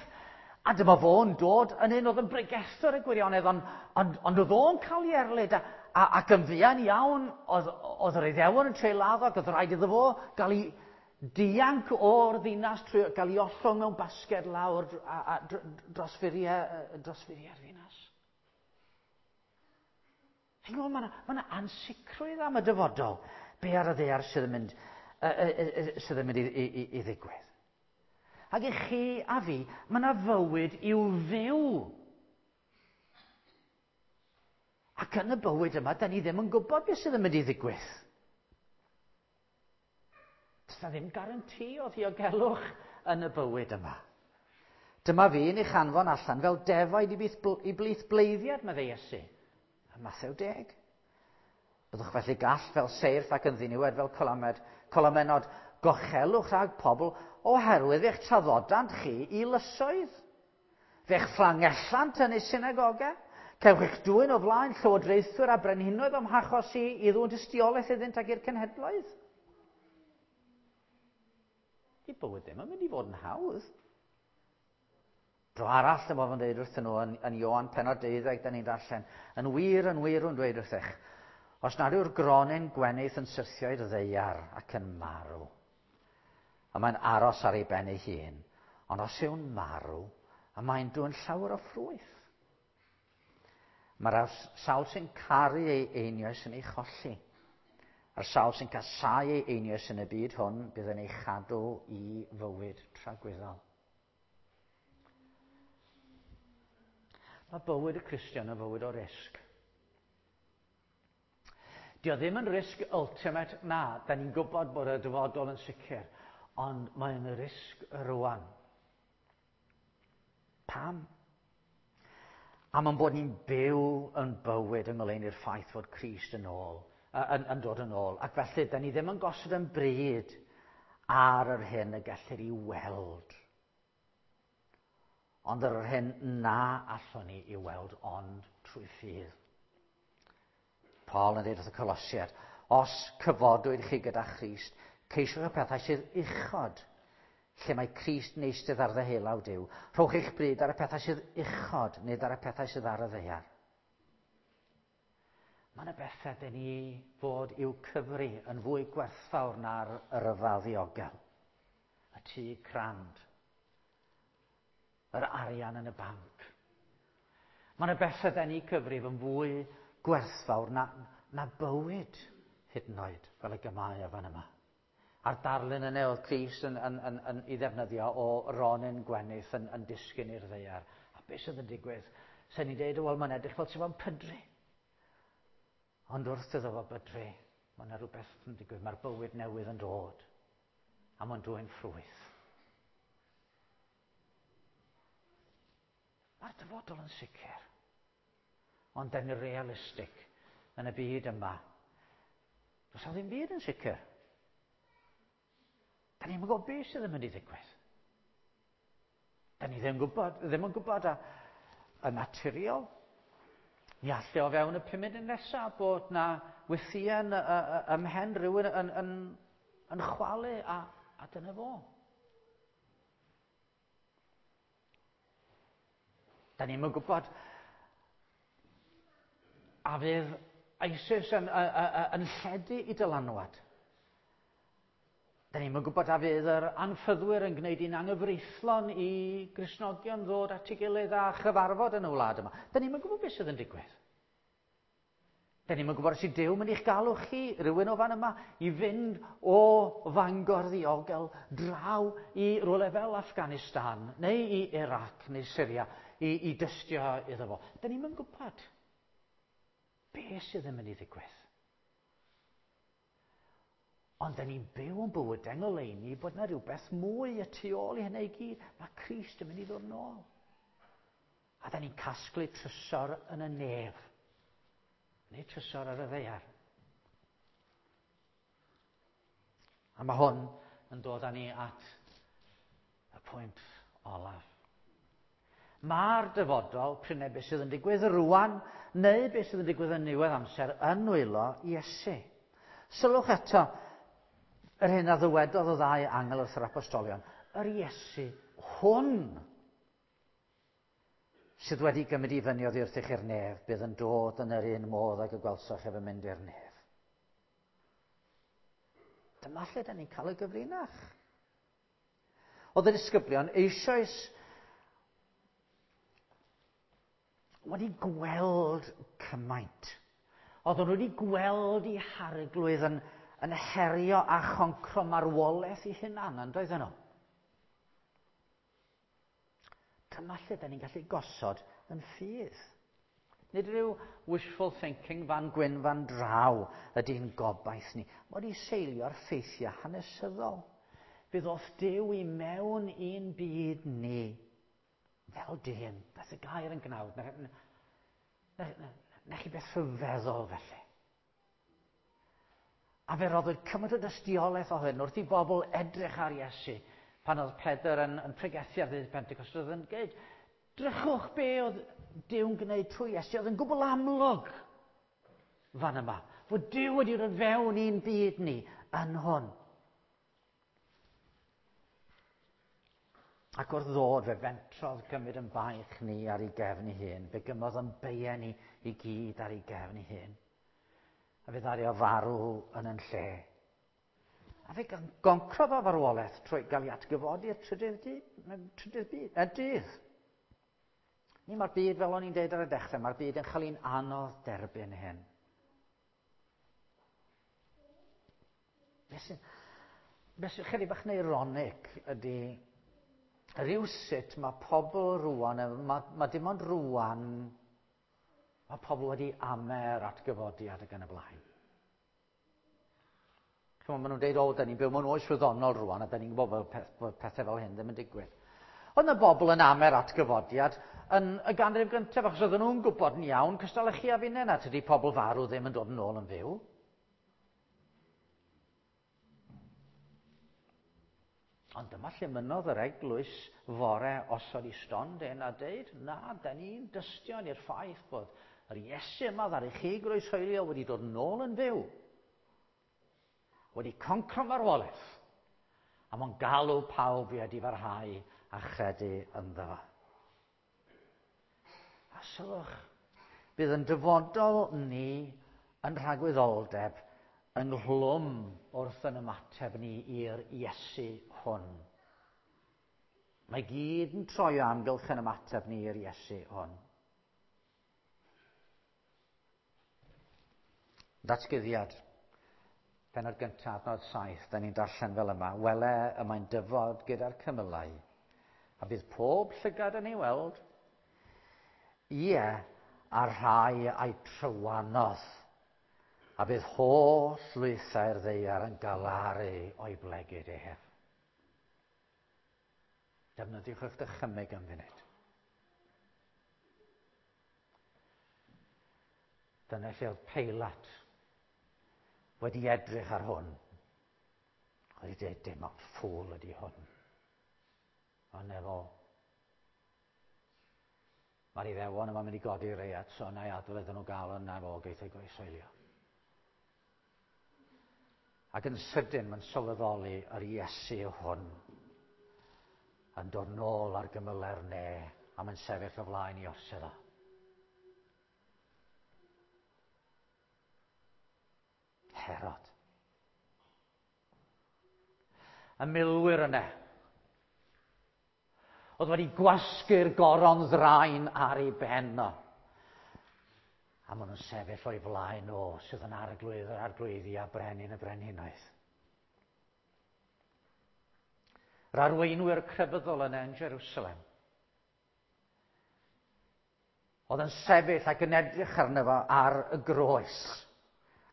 A dyma fo'n dod yn un oedd yn bregethwr y gwirionedd, ond oedd o'n cael ei erlid ac yn fuan iawn oedd yr Iddewon yn trio ladd o, ac oedd rhaid iddo fo gael ei dianc o'r ddinas trwy gael ei ollwng mewn basged lawr a dros furiau'r ddinas. Chi'n gwybod, mae yna ansicrwydd am y dyfodol. Be ar y ddaear sydd yn mynd i ddigwydd. Ac i chi a fi, mae yna fywyd i'w fyw. Ac yn y bywyd yma, da ni ddim yn gwybod beth sydd yn mynd i ddigwydd. Does na ddim garanti o ddiogelwch yn y bywyd yma. Dyma fi yn eich anfon allan fel defaid i blith bleiddiad, meddai Iesu. Ym Mathew 10. Byddwch felly gall fel seirff ac yn ddiniwed fel colamed, colamenod. Gochelwch rhag pobl oherwydd eich traddodant chi i lysoedd. Fe'ch fflangellant yn eu synagogau. Cewch eich dwyn o flaen llywodraethwyr a brenhinoedd o'm hachos i i ddwyn tystiolaeth iddynt ag i'r cenhedloedd. Di bywyd ddim yn mynd i fod yn hawdd. Dro arall, dyma fo'n dweud wrthyn nhw yn Ioan pennod 12, da ni'n darllen, yn wir, yn wir, yn dweud wrthych, os nad yw'r gronyn gwenith yn syrthio i'r ddaear ac yn marw, a mae'n aros ar ei ben ei hun, ond os yw'n marw, a mae'n dwyn llawer o ffrwyth. Mae'r sawl sy'n caru ei einioes yn ei cholli. A'r sawl sy'n casáu ei einioes yn y byd hwn bydd yn ei chadw i fywyd tragwyddol. Mae bywyd y Cristion yn fywyd o risg. Dio ddim yn risg ultimate, na, da ni'n gwybod bod y dyfodol yn sicr, ond mae'n risg rwan. Pam? Am ein bod ni'n byw yn bywyd yng ngoleuni'r ffaith fod Crist yn ôl, yn dod yn ôl. Ac felly, da ni ddim yn gosod yn bryd ar yr hyn y gellir i weld. Ond ar yr hyn na allwn ni i weld ond trwy ffydd. Paul yn dweud wrth y Colosiaid, os cyfodwyd chi gyda Christ, ceisiwch y pethau sydd uchod, lle mae Crist yn eistedd ar ddeheulaw Duw. Rhowch eich bryd ar y pethau sydd uchod, nid ar y pethau sydd ar y ddaear. Mae yna bethau dyn ni fod i'w cyfri yn fwy gwerthfawr na'r ryfel ddiogel. Y tŷ crand. Yr arian yn y banc. Mae yna bethau dyn ni cyfrif yn fwy gwerthfawr na bywyd hyd yn oed, fel y gymau o fan yma. A'r darlun yna oedd Crist yn ei ddefnyddio o ronyn gwenith yn disgyn i'r ddaear. A beth sydd yn digwydd? Sen ni'n deud, wel, mae'n edrych fel sydd fo'n pydru. Ond wrth iddo fo bydru, mae yna rhywbeth yn digwydd. Mae'r bywyd newydd yn dod. A mae'n dwyn ffrwyth. Mae'r dyfodol yn sicr. Ond dan ni'n realistig yn y byd yma. Does 'na ddim byd yn sicr. Da ni'n gwybod beth sydd yn mynd i ddigwydd. Da ni ddim yn gwybod y naturiol. Ni alle o fewn y 5 munud nesaf bod na wythïen ym mhen rhywun yn chwalu a dyna fo. Da ni'n gwybod a fydd ISIS yn lledu i dylanwad. Da ni'n gwybod a fydd yr anffyddwyr yn gwneud un anghyfreithlon i Gristnogion ddod at ei gilydd a chyfarfod yn y wlad yma. Da ni'n gwybod beth sydd yn digwydd. Da ni'n gwybod os yw Duw mynd i'ch galw chi, rhywun o fan yma, i fynd o Fangor ddiogel draw i rywle fel Afghanistan, neu i Iraq, neu Syria, i dystio iddo fo. Da ni'n gwybod beth sydd yn mynd i ddigwydd. Ond da ni'n byw yn bywydau yng ngoleuni bod yna rhywbeth mwy y tu ôl i hynny i gyd. Mae Crist yn mynd i ddod nôl. A da ni'n casglu trysor yn y nef. Neu trysor ar y ddaear. A mae hwn yn dod â ni at y pwynt olaf. Mae'r dyfodol, prin beth sydd yn digwydd rwan, neu beth sydd yn digwydd yn niwedd amser, yn nwylo Iesu. Sylwch eto yr hyn a ddywedodd y ddau angel wrth yr apostolion. Yr Iesu hwn sydd wedi gymryd i fyny oddi wrthych i'r nef, bydd yn dod yn yr un modd ag y gwelsoch ef yn mynd i'r nef. Dyma lle da ni'n cael y gyfrinach. Oedd y disgyblion eisoes wedi gweld cymaint. Oedden nhw wedi gweld eu harglwydd yn herio a choncro marwolaeth eu hunan, yn doedden nhw? Dyma lle da ni'n gallu gosod yn ffydd. Nid rhyw wishful thinking fan gwyn fan draw ydy'n gobaith ni. Mae wedi seilio ar ffeithiau hanesyddol. Fe ddoth Duw i mewn i'n byd ni fel dyn. Beth y gair yn gnawd. Na chi beth rhyfeddol felly. A fe roddwyd cymaint o dystiolaeth o hyn wrth i bobl edrych ar Iesu pan oedd Pedr yn pregethu ar ddydd Pentecost, oedd yn gweud, drychwch be oedd Duw'n gwneud trwy Iesu, oedd yn gwbl amlwg fan yma, fod Duw wedi dod fewn i'n byd ni yn hwn. Ac wrth ddod, fe fentrodd gymryd yn baich ni ar ei gefn ei hun. Fe gymodd yn beiau ni i gyd ar ei gefn ei hun. A fe ddaru o farw yn yn lle. A fe goncrodd o farwolaeth trwy gael ei atgyfodi i'r trydydd trydydd byd, y dydd. Ni mae'r byd, fel o'n i'n deud ar y dechrau, mae'r byd yn chael un anodd derbyn hyn. Beth sy'n, beth sy'n chydig bach yn ironic ydy rhywsut mae pobl rwan, mae dim ond rwan, mae pobl wedi amer atgyfodiad ac yn y blaen. Chymod, maen nhw'n deud, o, da ni'n byw mewn oes wyddonol rwan, a da ni'n gwybod fel peth, bod pethau fel hyn ddim yn digwydd. Oedd yna bobl yn amer atgyfodiad yn y ganrif gyntaf, achos oedden nhw'n gwybod yn iawn, cystal â chi a finne, na tydi pobl farw ddim yn dod yn ôl yn fyw. Ond dyma lle mynnodd yr eglwys fore osod i stondin a deud, na, da ni'n dystion i'r ffaith bod yr Iesu yma ddaru chi groeshoelio wedi dod yn ôl yn fyw. Wedi concro marwolaeth. A mae'n galw pawb i edifarhau a chredu ynddo fo. A sylwch, bydd yn dyfodol ni yn rhagwyddoldeb ynghlwm wrth yn ymateb ni i'r Iesu hwn. Mae gyd yn troi o amgylch yn ymateb ni i'r Iesu hwn. Datguddiad. Pennod gyntaf, adnod 7, da ni'n darllen fel yma. Wele y mae'n dyfod gyda'r cymylau, a bydd pob llygad yn ei weld. Ie, a'r rhai a'i trywanodd, a bydd holl lwythau'r ddaear yn galaru o'i blegid ef. Defnyddiwch eich dychymyg am funud. Dyna lle oedd Peilat wedi edrych ar hwn. Wedi dweud, dim ond ffŵl ydy hwn. Ond efo, mae'r Iddewon yma'n mynd i godi reiat, so na i adael iddyn nhw gael yna fo geith ei groeshoelio. Ac yn sydyn mae'n sylweddoli yr Iesu hwn yn dod nôl ar gymyle'r ne a mae'n sefyll o flaen i orsedd o. Herod. Y milwyr yna oedd wedi gwasgu'r goron ddraen ar ei ben o. A maen nhw'n sefyll o'i flaen o sydd yn arglwydd yr arglwyddi a brenin y brenhinoedd. Yr arweinwyr crefyddol yna yn Jerusalem. Oedd yn sefyll ac yn edrych arno fo ar y groes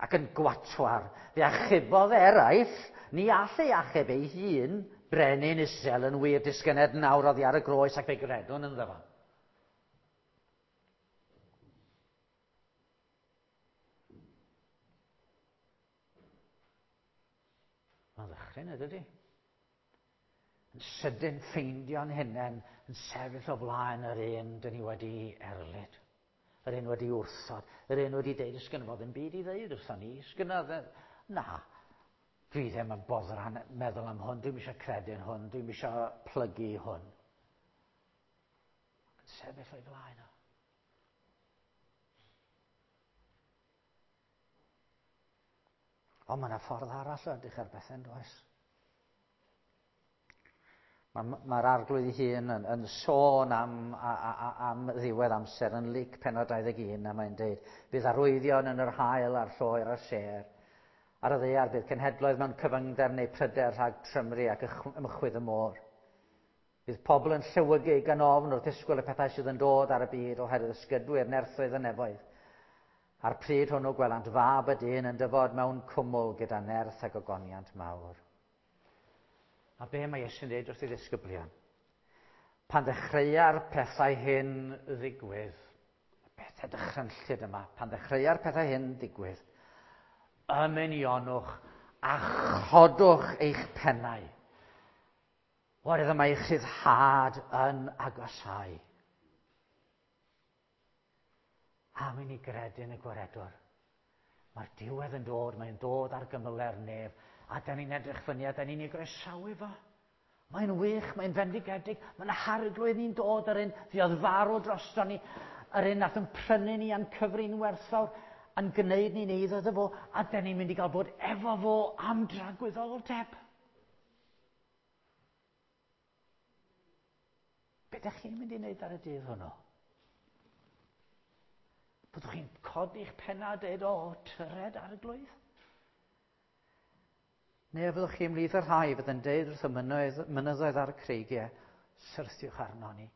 ac yn gwatwar. Fe achubodd eraill, ni all ei achub ei hun, brenin Israel yn wir disgyned nawr oddi ar y groes ac fe gredwn ynddo fo. Mae'n ddychryn, ydy? Yn sydyn ffeindio'n hunain yn sefyll o flaen yr un dyn ni wedi erlid. Yr un wedi wrthod. Yr un wedi deud, sgynno fo ddim byd i ddeud wrthon ni. Sgynno na, dwi ddim yn boddran meddwl am hwn. Dwi'm eisiau credu'n hwn. Dwi'm eisiau plygu hwn. Yn sefyll o'i flaen o. Ond mae yna ffordd arall o edrych ar bethau, yn does? Mae'r arglwydd ei hun yn sôn am ddiwedd amser yn Luc pennod 21, a mae'n deud, bydd arwyddion yn yr haul a'r lloer a'r sêr. Ar y ddaear bydd cenhedloedd mewn cyfyngder neu pryder rhag trymru ac ymchwydd y môr. Bydd pobl yn llewygu gan ofn wrth ddisgwyl y pethau sydd yn dod ar y byd oherwydd ysgydwyr nerthoedd y nefoedd. A'r pryd hwnnw gwelant fab y dyn yn dyfod mewn cwmwl gyda nerth ac ogoniant mawr. A be mae Iesu'n dweud wrth ei ddisgyblion? Pan ddechreua'r pethau hyn ddigwydd, y pethau dychrynllyd yma, pan ddechreua'r pethau hyn ddigwydd, ymunionwch a chodwch eich pennau. Oherwydd mae eich rhyddhad yn agosau. Am i ni gredu yn y gwaredwr. Mae'r diwedd yn dod, mae'n dod ar gymyle'r nef, a da ni'n edrych fyny a da ni'n ei groesawu fo. Mae'n wych, mae'n fendigedig, mae'n harglwydd ni'n dod yr un fuodd farw drosto ni, yr un nath yn prynu ni a'n cyfri'n werthfawr, a'n gwneud ni'n eiddo iddo fo, a da ni'n mynd i gael bod efo fo am dragwyddoldeb. Be ydych chi'n mynd i wneud ar y dydd hwnnw? Byddwch chi'n codi'ch penna a dweud, o, tyred arglwydd? Neu a fyddwch chi ymhlith y rhai fydd yn deud wrth y mynyddoedd ar y creigiau, syrthiwch arno ni,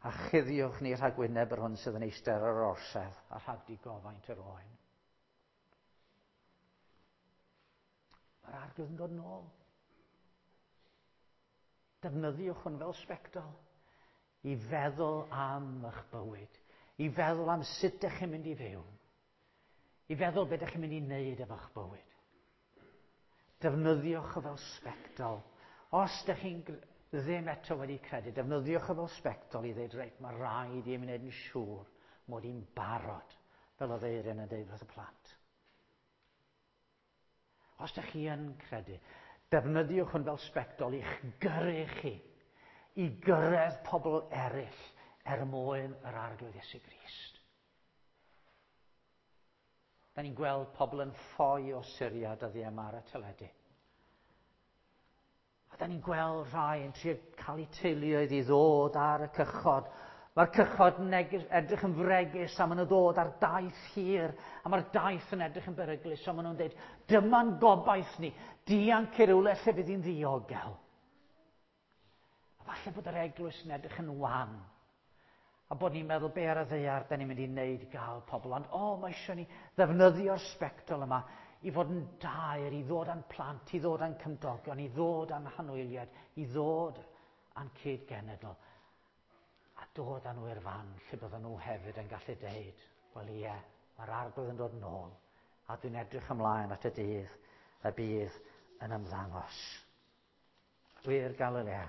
a chuddiwch ni rhag wyneb yr hwn sydd yn eistedd ar yr orsedd a rhag digofaint yr oen. Mae'r arglwydd yn dod nôl. Defnyddiwch hwn fel sbectol i feddwl am eich bywyd, i feddwl am sut ydych chi'n mynd i fyw, i feddwl beth ydych chi'n mynd i wneud efo'ch bywyd. Defnyddiwch o fel sbectol. Os ydych chi'n ddim eto wedi credu, defnyddiwch o fel sbectol i ddweud, reit, mae rhaid i mi wneud yn siŵr mod i'n barod, fel oedd Eirin yn dweud wrth y plant. Os ydych chi yn credu, defnyddiwch hwn fel sbectol i'ch gyrru chi, i gyrraedd pobl eraill er mwyn yr Arglwydd Iesu Grist. Da ni'n gweld pobl yn ffoi o Syria dyddiau yma ar y teledu. A da ni'n gweld rhai yn trio cael eu teuluoedd i ddod ar y cychod. Mae'r cychod yn edrych yn fregus a maen nhw'n dod ar daith hir. A mae'r daith yn edrych yn beryglus a maen nhw'n dweud, dyma'n gobaith ni, dianc i rywle lle fydd hi'n ddiogel. A falle bod yr eglwys yn edrych yn wan. A bod ni'n meddwl be ar y ddaear da ni'n mynd i wneud i gael pobl. Ond o, mae eisiau ni ddefnyddio'r sbectol yma i fod yn daer, i ddod â'n plant, i ddod â'n cymdogion, i ddod â'n hanwyliad, i ddod â'n cyd-genedl. A dod â nhw i'r fan lle bydden nhw hefyd yn gallu deud, wel ie, mae'r arglwydd yn dod nôl, a dwi'n edrych ymlaen at y dydd y bydd yn ymddangos. Wir Galilea,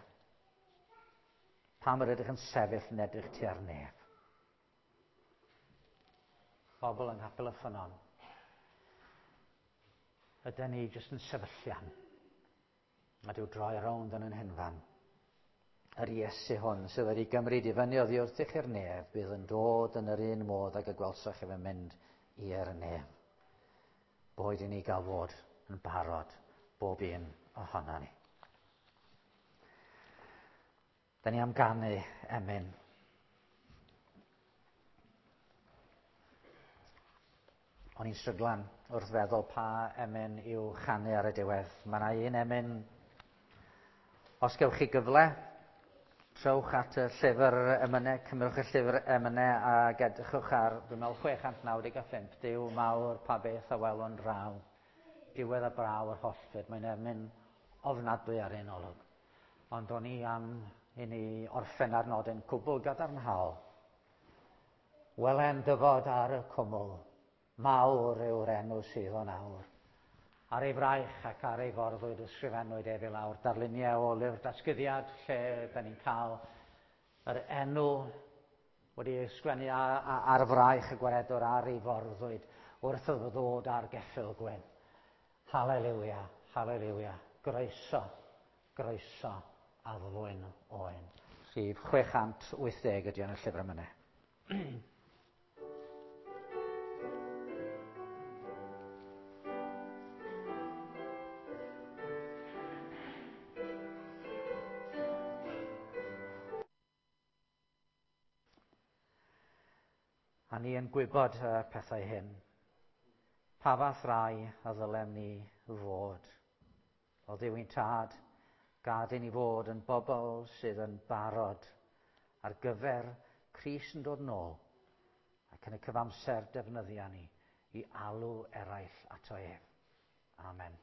pam yr ydych yn sefyll yn edrych tua'r nef? Pobl yng Nghapel y Ffynnon, ydyn ni jyst yn sefyllian, a dyw droi rownd yn yn henfan. Yr Iesu hwn sydd wedi gymryd i fyny oddi wrthych i'r nef, bydd yn dod yn yr un modd ag y gwelsoch ef yn mynd i'r nef. Boed i ni gael fod yn barod bob un ohono ni. Da ni am ganu emyn. O'n i'n stryglan wrth feddwl pa emyn i'w chanu ar y diwedd. Mae yna un emyn, os gewch chi gyfle, trowch at y llyfr emynau, cymrwch y llyfr emynau a edrychwch ar, dwi'n meddwl, 695, Duw mawr pa beth a welwn draw. Diwedd a braw yr hollfyd, mae'n emyn ofnadwy ar un olwg. Ond o'n i am i ni orffen ar nodyn cwbl gadarnhaol. Welen dyfod ar y cwmwl, mawr yw'r enw sydd o'n awr. Ar ei fraich ac ar ei forddwyd ysgrifennwyd ef i lawr. Darluniau o lyfr datguddiad lle da ni'n cael yr enw wedi ei ysgrifennu ar fraich y gwaredwr ar ei forddwyd wrth iddo ddod ar geffyl gwyn. Haleluia, haleluia, groeso, groeso addfwyn oen. Rhif 680 ydy yn y llyfr emynau. A ni yn gwybod y pethau hyn. Pa fath rai a ddylem ni fod? O Dduw ein tad, Gad i ni fod yn bobl sydd yn barod ar gyfer Crist yn dod nôl ac yn y cyfamser defnyddia ni i alw eraill ato ef. Amen.